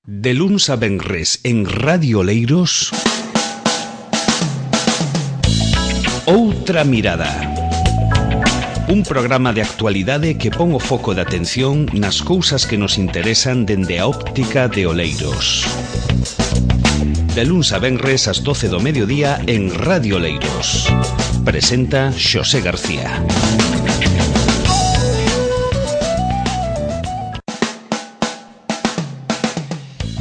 De luns a venres en Radio Oleiros, Outra Mirada. Un programa de actualidade que pon o foco de atención nas cousas que nos interesan dende a óptica de Oleiros. De luns a venres ás 12 do mediodía en Radio Oleiros. Presenta Xosé García.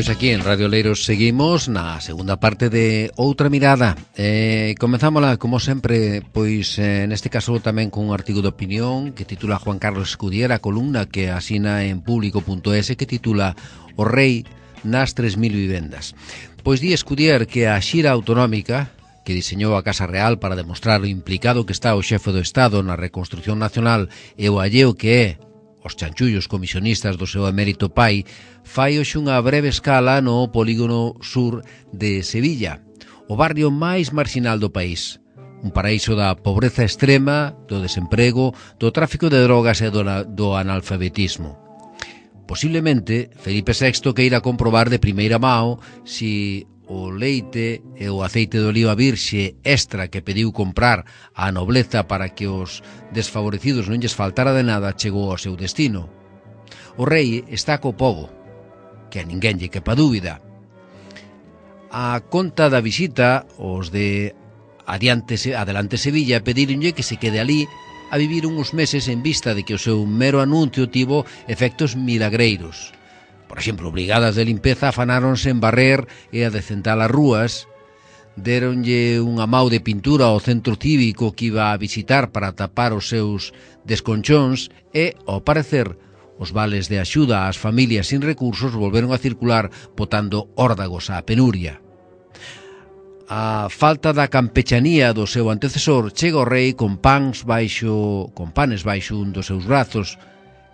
Pois aquí en Radio Oleiros seguimos na segunda parte de Outra Mirada. Comenzámola, como sempre, pois neste caso tamén con un artigo de opinión que titula Juan Carlos Escudier, a columna que asina en público.es, que titula O Rei nas 3.000 vivendas. Pois di Escudier que a xira autonómica que diseñou a Casa Real para demostrar o implicado que está o xefe do Estado na reconstrucción nacional e o alleo que é os chanchullos comisionistas do seu emérito pai, fai hoxe unha breve escala no polígono sur de Sevilla, o barrio máis marxinal do país, un paraíso da pobreza extrema, do desemprego, do tráfico de drogas e do analfabetismo. Posiblemente, Felipe VI queira comprobar de primeira mão si o leite e o aceite de oliva virxe extra que pediu comprar á nobleza para que os desfavorecidos non lles faltara de nada chegou ao seu destino. O rei está co pobo, que a ninguén lle quepa dúbida. A conta da visita, os de Adelante Sevilla pedíronlle que se quede ali a vivir uns meses en vista de que o seu mero anuncio tivo efectos milagreiros. Por exemplo, brigadas de limpeza afanáronse en barrer e a decentar as rúas, deronlle unha mau de pintura ao centro cívico que iba a visitar para tapar os seus desconchóns e, ao parecer, os vales de axuda ás familias sin recursos volveron a circular botando órdagos á penuria. A falta da campechanía do seu antecesor chega ao rei con panes baixo un dos seus brazos,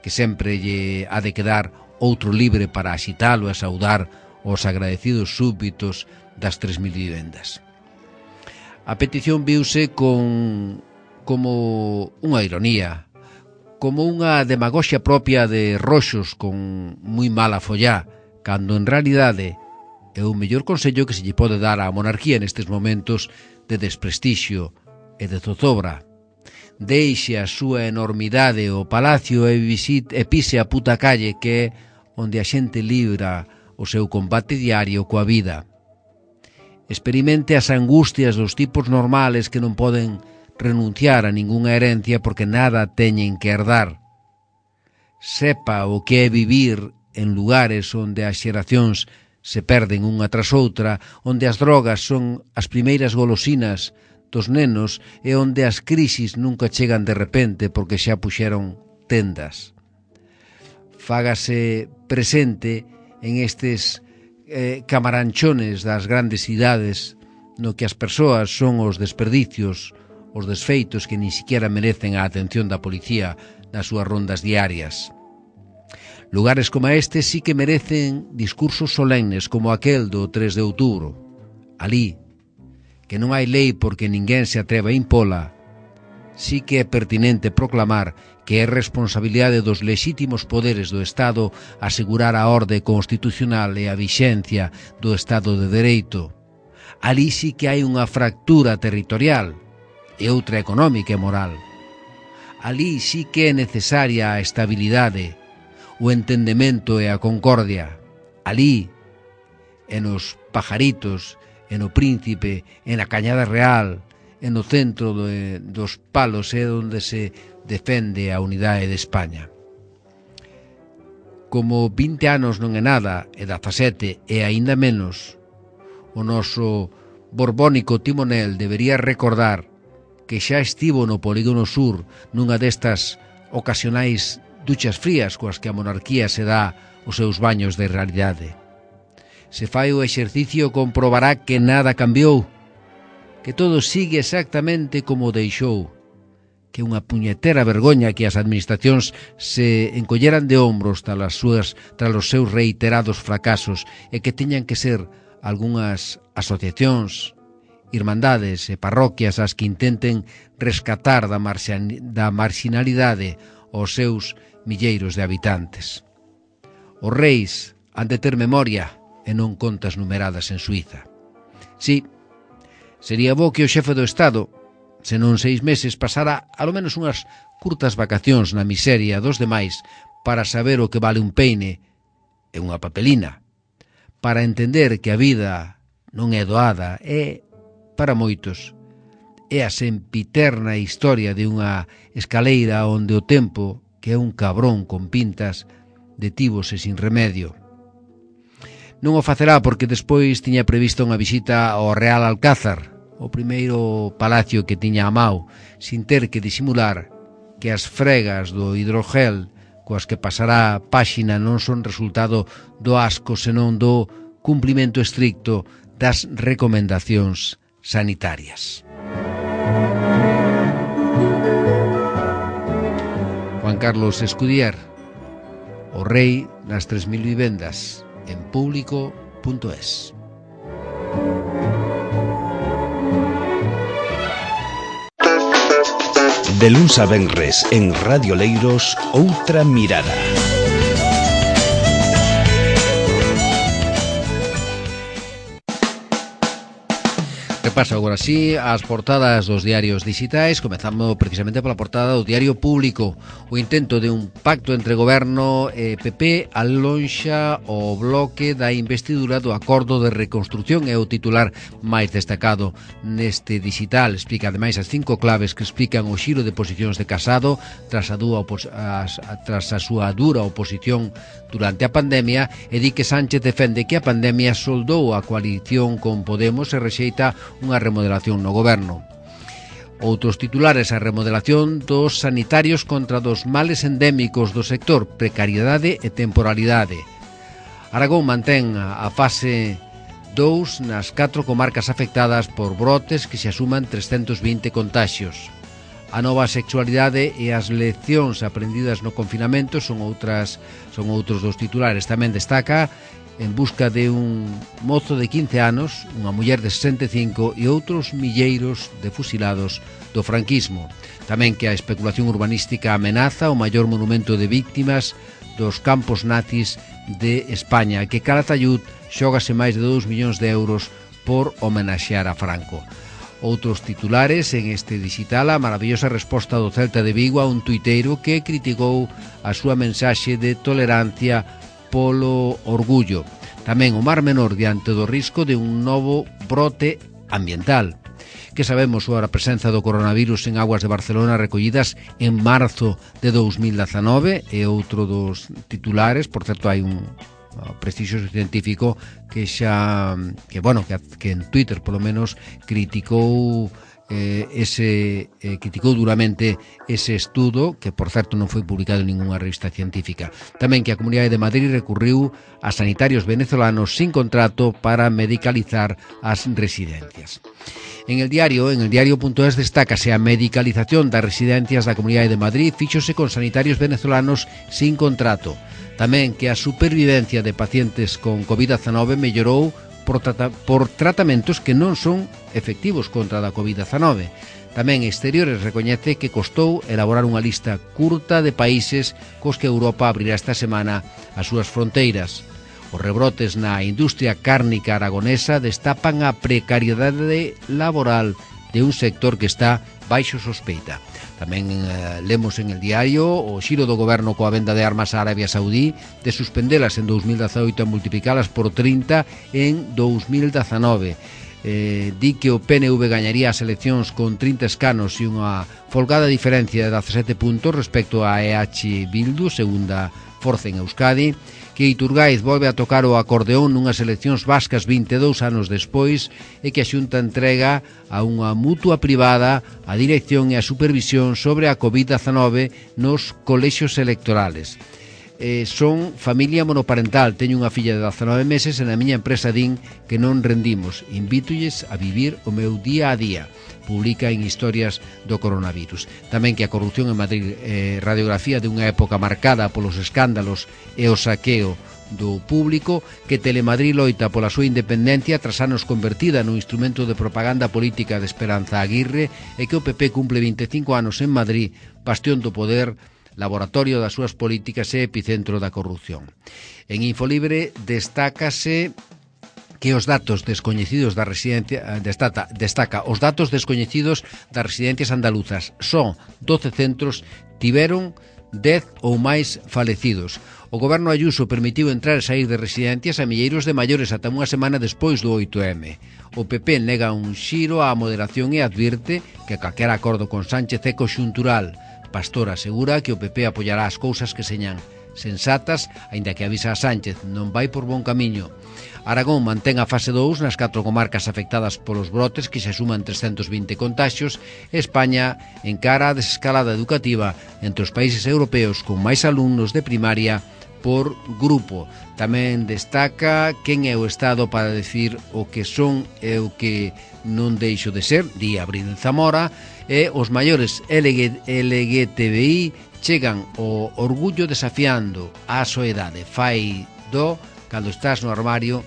que sempre lle ha de quedar outro libre para axitalo e saudar os agradecidos súbditos das 3.000 vivendas. A petición viuse como unha ironía, como unha demagoxia propia de roxos con moi mala follá, cando en realidade é o mellor consello que se lle pode dar á monarquía nestes momentos de desprestixio e de zozobra. Deixe a súa enormidade o palacio e pise a puta calle, que é onde a xente libra o seu combate diario coa vida. Experimente as angustias dos tipos normales que non poden renunciar a ningunha herencia porque nada teñen que herdar. Sepa o que é vivir en lugares onde as xeracións se perden unha tras outra, onde as drogas son as primeiras golosinas dos nenos e onde as crisis nunca chegan de repente porque xa puxeron tendas. Fágase presente en estes camaranchones das grandes cidades no que as persoas son os desperdicios, os desfeitos que ni siquiera merecen a atención da policía nas súas rondas diarias. Lugares como este sí que merecen discursos solemnes como aquel do 3 de outubro. Ali, que non hai lei porque ninguén se atreva a impola, sí que é pertinente proclamar que é responsabilidade dos lexítimos poderes do Estado asegurar a orde constitucional e a vixencia do Estado de Dereito. Ali sí que hai unha fractura territorial e outra económica e moral. Ali sí que é necesaria a estabilidade, o entendemento e a concordia. Ali, en os Pajaritos, en o Príncipe, en a Cañada Real, e no centro dos palos é onde se defende a unidade de España. Como 20 anos non é nada, e 17 é aínda menos, o noso borbónico timonel debería recordar que xa estivo no polígono sur nunha destas ocasionais duchas frías coas que a monarquía se dá os seus baños de realidade. Se fai o exercicio comprobará que nada cambiou, que todo sigue exactamente como deixou, que unha puñetera vergoña que as administracións se encolleran de ombros tras os seus reiterados fracasos e que teñan que ser algunhas asociacións, irmandades e parroquias as que intenten rescatar da marxinalidade os seus milleiros de habitantes. Os reis, han de ter memoria e non contas numeradas en Suiza. Sí, sería bo que o xefe do Estado, se non 6 meses, pasara alo menos unhas curtas vacacións na miseria dos demais para saber o que vale un peine e unha papelina, para entender que a vida non é doada, é, para moitos, é a sempiterna historia de unha escaleira onde o tempo, que é un cabrón con pintas, detívose sin remedio. Non o facerá porque despois tiña prevista unha visita ao Real Alcázar, o primeiro palacio que tiña a Mao, sin ter que disimular que as fregas do hidrogel coas que pasará páxina non son resultado do asco, senón do cumprimento estricto das recomendacións sanitarias. Juan Carlos Escudier, o rei das 3.000 vivendas, en público.es. De luns a venres en Radio Leiros, Outra Mirada. Repaso agora sí as portadas dos diarios digitais, comezando precisamente pola portada do Diario Público. O intento de un pacto entre Goberno e PP alonxa o bloque da investidura do Acordo de Reconstrucción, é o titular máis destacado neste digital. Explica ademais as 5 claves que explican o xiro de posicións de Casado tras a súa dura oposición durante a pandemia, e di que Sánchez defende que a pandemia soldou a coalición con Podemos e rexeita unha remodelación no goberno. Outros titulares: a remodelación dos sanitarios contra dos males endémicos do sector, precariedade e temporalidade. Aragón mantén a fase 2 nas 4 comarcas afectadas por brotes que se asuman 320 contaxios. A nova sexualidade e as leccións aprendidas no confinamento son outros dos titulares. Tamén destaca En busca de un mozo de 15 anos, unha muller de 65 e outros milleiros de fusilados do franquismo. Tamén que a especulación urbanística amenaza o maior monumento de víctimas dos campos nazis de España, que Calatayud xógase máis de 2 millóns de euros por homenaxear a Franco. Outros titulares en este digital: a maravillosa resposta do Celta de Vigo a un tuiteiro que criticou a súa mensaxe de tolerancia polo orgullo. Tamén o Mar Menor diante do risco de un novo brote ambiental. Que sabemos sobre a presenza do coronavirus en aguas de Barcelona recollidas en marzo de 2019? É outro dos titulares. Por certo, hai un prestigioso científico que en Twitter polo menos criticou duramente ese estudo, que por certo non foi publicado en ninguna revista científica. Tamén que a Comunidade de Madrid recurriu a sanitarios venezolanos sin contrato para medicalizar as residencias. En el diario.es destácase a medicalización das residencias da Comunidade de Madrid fíxose con sanitarios venezolanos sin contrato. Tamén que a supervivencia de pacientes con COVID-19 mellorou por tratamentos que non son efectivos contra a COVID-19. Tamén Exteriores recoñece que costou elaborar unha lista curta de países cos que Europa abrirá esta semana as súas fronteiras. Os rebrotes na industria cárnica aragonesa destapan a precariedade laboral de un sector que está baixo sospeita. Tamén lemos en el diario o xiro do goberno coa venda de armas a Arabia Saudí, de suspendelas en 2018 a multiplicalas por 30 en 2019. Di que o PNV gañaría as eleccións con 30 escanos e unha folgada diferencia de 17 puntos respecto a EH Bildu, segunda forza en Euskadi. Que Iturgaiz volve a tocar o acordeón nunhas eleccións vascas 22 anos despois e que a Xunta entrega a unha mutua privada a dirección e a supervisión sobre a COVID-19 nos colexios electorales. Son familia monoparental, teño unha filla de 19 meses e na miña empresa din que non rendimos. Invítoles a vivir o meu día a día. Publica en Historias do Coronavirus. Tamén que a corrupción en Madrid, radiografía de unha época marcada polos escándalos e o saqueo do público, que Telemadrid loita pola súa independencia tras anos convertida no instrumento de propaganda política de Esperanza Aguirre, e que o PP cumple 25 anos en Madrid, bastión do poder laboratorio das súas políticas e epicentro da corrupción. En Infolibre destácase que os datos descoñecidos da residencia destaca os datos descoñecidos das residencias andaluzas. Son 12 centros tiveron 10 ou máis falecidos. O goberno Ayuso permitiu entrar e sair de residencias a milleiros de maiores ata unha semana despois do 8M. O PP nega un xiro á moderación e advirte que calquera acordo con Sánchez é conxuntural. Pastor asegura que o PP apoiará as cousas que señan sensatas, aínda que avisa a Sánchez, non vai por bon camiño. Aragón mantén a fase 2 nas 4 comarcas afectadas polos brotes, que se suman 320 contaxios. España encara a desescalada educativa entre os países europeos con máis alumnos de primaria por grupo. Tamén destaca quen é o Estado para decir o que son e o que non deixo de ser, di Abril Zamora, e os maiores LGTBI chegan o orgullo desafiando a soedade. Fai do cando estás no armario,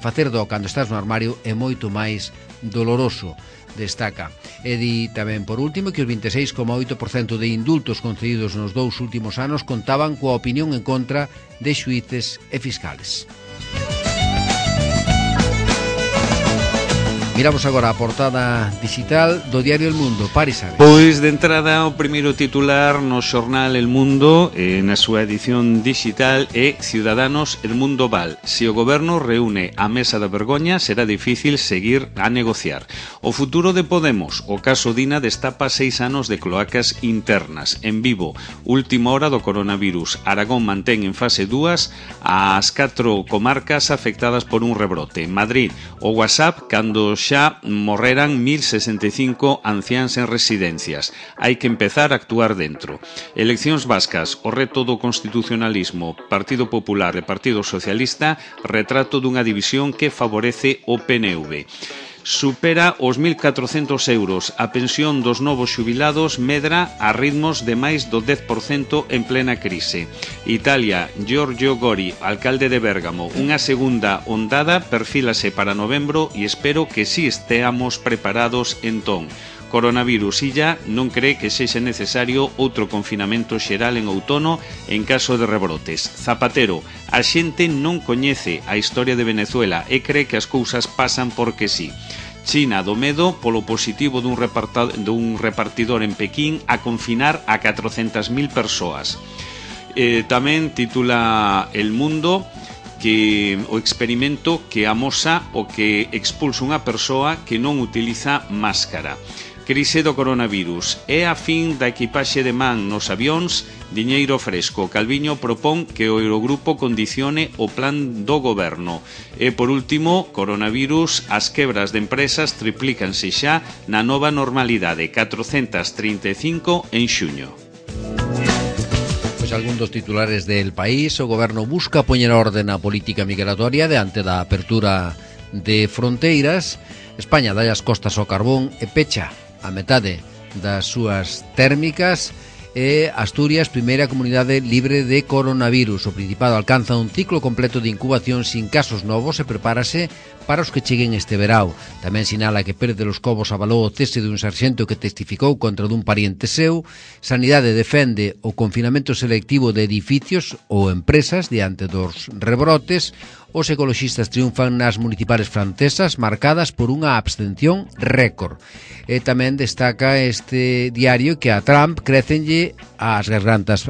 facer do cando estás no armario é moito máis doloroso, destaca. E di tamén, por último, que os 26,8% de indultos concedidos nos 2 últimos anos contaban coa opinión en contra de xuíces e fiscales. Miramos agora a portada digital do diario El Mundo. Paris Ares. Pois de entrada o primeiro titular no xornal El Mundo, na súa edición digital, é Ciudadanos, El Mundo Val. Se o goberno reúne a mesa da vergoña, será difícil seguir a negociar. O futuro de Podemos, o caso Dina destapa 6 anos de cloacas internas. En Vivo, última hora do coronavirus. Aragón mantén en fase 2 as 4 comarcas afectadas por un rebrote. Madrid, o WhatsApp cando xa morreran 1065 anciáns en residencias. Hai que empezar a actuar dentro. Eleccións vascas, o reto do constitucionalismo, Partido Popular e Partido Socialista, retrato dunha división que favorece o PNV. Supera os 1.400 euros. A pensión dos novos xubilados medra a ritmos de máis do 10% en plena crise. Italia, Giorgio Gori, alcalde de Bérgamo. Unha segunda ondada perfílase para novembro e espero que si esteamos preparados entón. Coronavirus, Illa non cree que sexa necesario outro confinamento xeral en outono en caso de rebrotes. Zapatero, a xente non coñece a historia de Venezuela e cree que as cousas pasan porque sí. China do medo polo positivo dun repartidor en Pekín a confinar a 400.000 persoas. Tamén titula El Mundo que o experimento que amosa o que expulsa unha persoa que non utiliza máscara. Crise do coronavirus. É a fin da equipaxe de man nos avións, diñeiro fresco. Calviño propón que o Eurogrupo condicione o plan do goberno. E, por último, coronavirus, as quebras de empresas triplícanse xa na nova normalidade. 435 en xuño. Pois algún dos titulares del país. O goberno busca poñer orden á política migratoria diante da apertura de fronteiras. España dá as costas ao carbón e pecha a metade das súas térmicas. E Asturias, primeira comunidade libre de coronavirus. O Principado alcanza un ciclo completo de incubación sin casos novos e prepárase para os que cheguen este verao. Tamén sinala que Pérez de los Cobos avalou o cese de un sarxento que testificou contra dun pariente seu. Sanidade defende o confinamento selectivo de edificios ou empresas diante dos rebrotes. Os ecoloxistas triunfan nas municipales francesas marcadas por unha abstención récord. E tamén destaca este diario que a Trump crécenlle as gargantas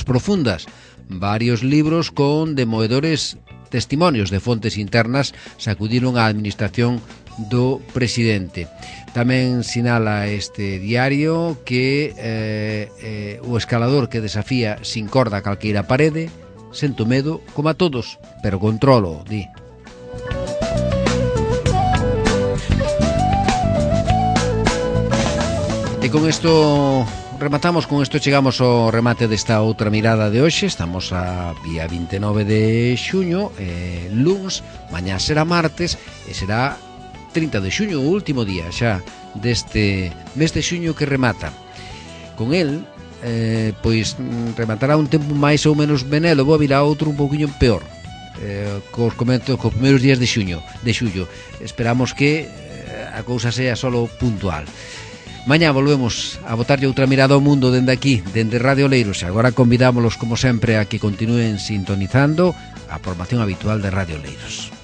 profundas. Varios libros con demoedores testimonios de fontes internas sacudiron a administración do presidente. Tamén sinala este diario que o escalador que desafía sin corda calqueira parede, sento medo como a todos, pero controlo, di. E con isto rematamos, con isto chegamos ao remate desta outra mirada de hoxe. Estamos a día 29 de xuño, luns, mañá será martes e será 30 de xuño, o último día xa deste mes de xuño que remata. Con el pois rematará un tempo máis ou menos benélo, virá outro un pouquiño peor, cos primeiros días de xullo. Esperamos que a cousa sea solo puntual. Mañá volvemos a botarlle outra mirada ao mundo dende aquí, dende Radio Oleiros. E agora convidámolos, como sempre, a que continúen sintonizando a programación habitual de Radio Oleiros.